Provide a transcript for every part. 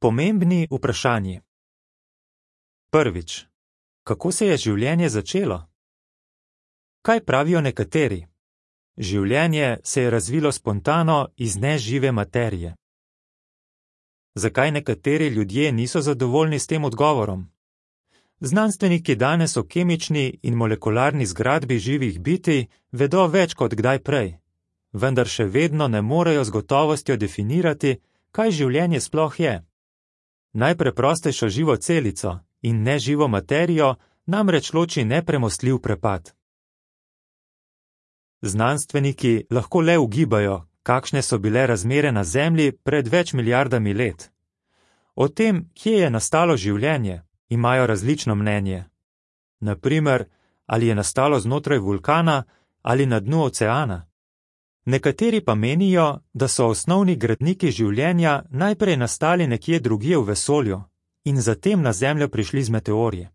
Pomembni vprašanji. Prvič. Kako se je življenje začelo? Kaj pravijo nekateri? Življenje se je razvilo spontano iz nežive materije. Zakaj nekateri ljudje niso zadovoljni s tem odgovorom? Znanstveniki danes o kemični in molekularni zgradbi živih bitij vedo več kot kdaj prej, vendar še vedno ne morejo z gotovostjo definirati, kaj življenje sploh je. Najpreprostejšo živo celico in neživo materijo namreč loči nepremostljiv prepad. Znanstveniki lahko le ugibajo, kakšne so bile razmere na Zemlji pred več milijardami let. O tem, kje je nastalo življenje, imajo različno mnenje. Na primer, ali je nastalo znotraj vulkana ali na dnu oceana. Nekateri pa menijo, da so osnovni gradniki življenja najprej nastali nekje drugje v vesolju in zatem na Zemljo prišli z meteorji.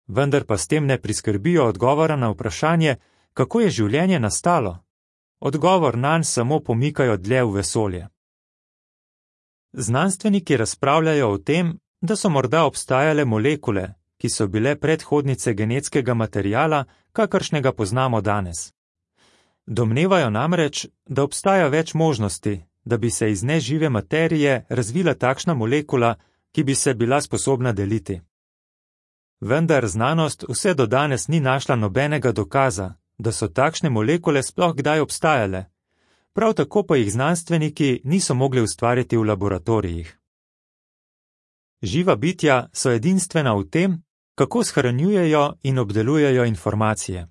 Vendar pa s tem ne priskrbijo odgovora na vprašanje, kako je življenje nastalo. Odgovor nanj samo pomikajo dlje v vesolje. Znanstveniki razpravljajo o tem, da so morda obstajale molekule, ki so bile predhodnice genetskega materiala, kakršnega poznamo danes. Domnevajo namreč, da obstaja več možnosti, da bi se iz nežive materije razvila takšna molekula, ki bi se bila sposobna deliti. Vendar znanost vse do danes ni našla nobenega dokaza, da so takšne molekule sploh kdaj obstajale, prav tako pa jih znanstveniki niso mogli ustvariti v laboratorijih. Živa bitja so edinstvena v tem, kako shranjujejo in obdelujejo informacije.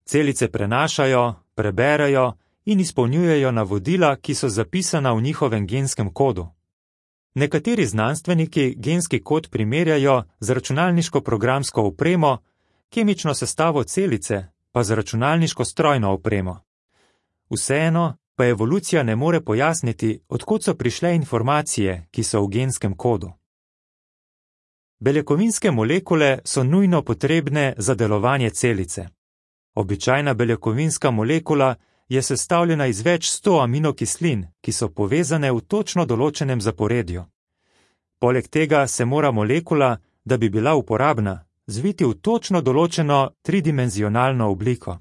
Celice prenašajo, preberejo in izpolnjujejo navodila, ki so zapisana v njihovem genskem kodu. Nekateri znanstveniki genski kod primerjajo z računalniško-programsko opremo, kemično sestavo celice pa z računalniško strojno opremo. Vseeno pa evolucija ne more pojasniti, od kod so prišle informacije, ki so v genskem kodu. Beljakovinske molekule so nujno potrebne za delovanje celice. Običajna beljakovinska molekula je sestavljena iz več 100 aminokislin, ki so povezane v točno določenem zaporedju. Poleg tega se mora molekula, da bi bila uporabna, zviti v točno določeno tridimenzionalno obliko.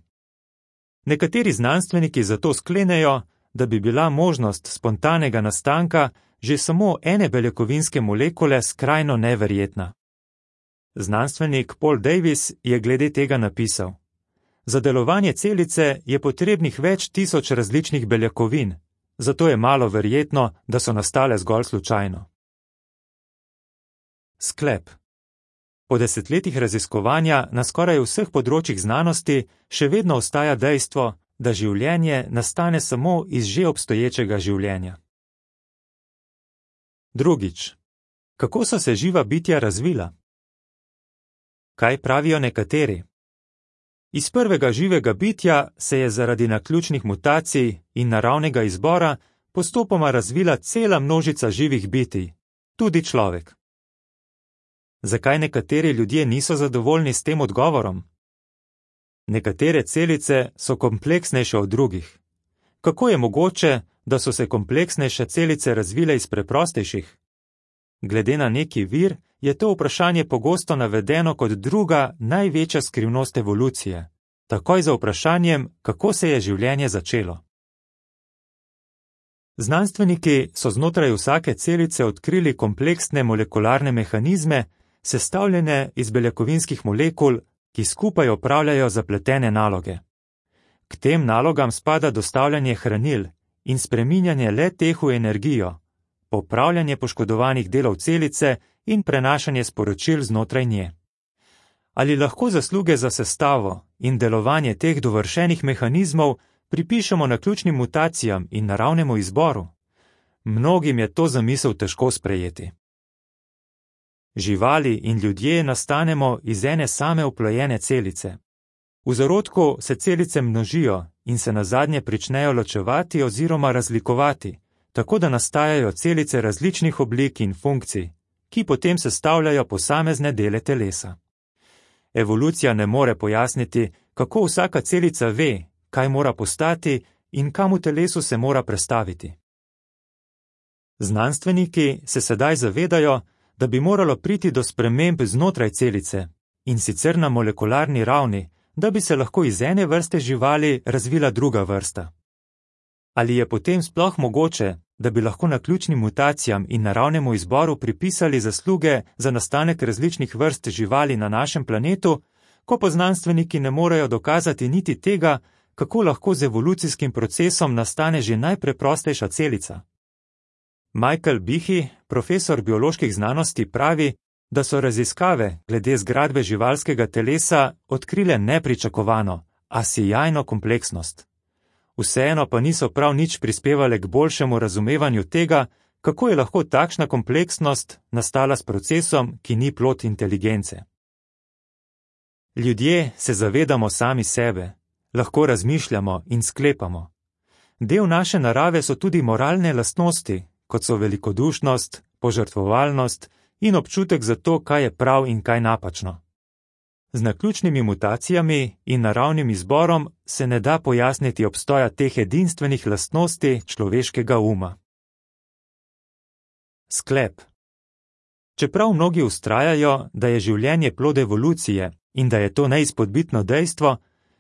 Nekateri znanstveniki zato sklenejo, da bi bila možnost spontanega nastanka že samo ene beljakovinske molekule skrajno neverjetna. Znanstvenik Paul Davies je glede tega napisal: Za delovanje celice je potrebnih več tisoč različnih beljakovin, zato je malo verjetno, da so nastale zgolj slučajno. Sklep. Po desetletjih raziskovanja na skoraj vseh področjih znanosti še vedno ostaja dejstvo, da življenje nastane samo iz že obstoječega življenja. Drugič. Kako so se živa bitja razvila? Kaj pravijo nekateri? Iz prvega živega bitja se je zaradi naključnih mutacij in naravnega izbora postopoma razvila cela množica živih bitij, tudi človek. Zakaj nekateri ljudje niso zadovoljni s tem odgovorom? Nekatere celice so kompleksnejše od drugih. Kako je mogoče, da so se kompleksnejše celice razvile iz preprostejših? Glede na neki vir je to vprašanje pogosto navedeno kot druga največja skrivnost evolucije, takoj za vprašanjem, kako se je življenje začelo. Znanstveniki so znotraj vsake celice odkrili kompleksne molekularne mehanizme, sestavljene iz beljakovinskih molekul, ki skupaj opravljajo zapletene naloge. K tem nalogam spada dostavljanje hranil in spreminjanje le-teh v energijo, popravljanje poškodovanih delov celice in prenašanje sporočil znotraj nje. Ali lahko zasluge za sestavo in delovanje teh dovršenih mehanizmov pripišemo naključnim mutacijam in naravnemu izboru? Mnogim je to zamisel težko sprejeti. Živali in ljudje nastanemo iz ene same oplojene celice. V zarodku se celice množijo in se nazadnje pričnejo ločevati oziroma razlikovati, tako da nastajajo celice različnih oblik in funkcij, ki potem sestavljajo posamezne dele telesa. Evolucija ne more pojasniti, kako vsaka celica ve, kaj mora postati in kam v telesu se mora prestaviti. Znanstveniki se sedaj zavedajo, da bi moralo priti do sprememb znotraj celice, in sicer na molekularni ravni, da bi se lahko iz ene vrste živali razvila druga vrsta. Ali je potem sploh mogoče, da bi lahko naključnim mutacijam in naravnemu izboru pripisali zasluge za nastanek različnih vrst živali na našem planetu, ko pa znanstveniki ne morejo dokazati niti tega, kako lahko z evolucijskim procesom nastane že najpreprostejša celica? Michael Behe, profesor bioloških znanosti, pravi, da so raziskave glede zgradbe živalskega telesa odkrile nepričakovano, a sijajno kompleksnost. Vseeno pa niso prav nič prispevale k boljšemu razumevanju tega, kako je lahko takšna kompleksnost nastala s procesom, ki ni plod inteligence. Ljudje se zavedamo sami sebe, lahko razmišljamo in sklepamo. Del naše narave so tudi moralne lastnosti, kot so velikodušnost, požrtvovalnost in občutek za to, kaj je prav in kaj napačno. Z naključnimi mutacijami in naravnim izborom se ne da pojasniti obstoja teh edinstvenih lastnosti človeškega uma. Sklep. Čeprav mnogi vztrajajo, da je življenje plod evolucije in da je to neizpodbitno dejstvo,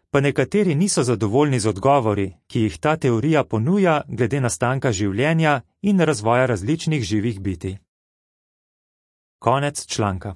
pa nekateri niso zadovoljni z odgovori, ki jih ta teorija ponuja glede nastanka življenja in razvoja različnih živih bitij. Konec članka.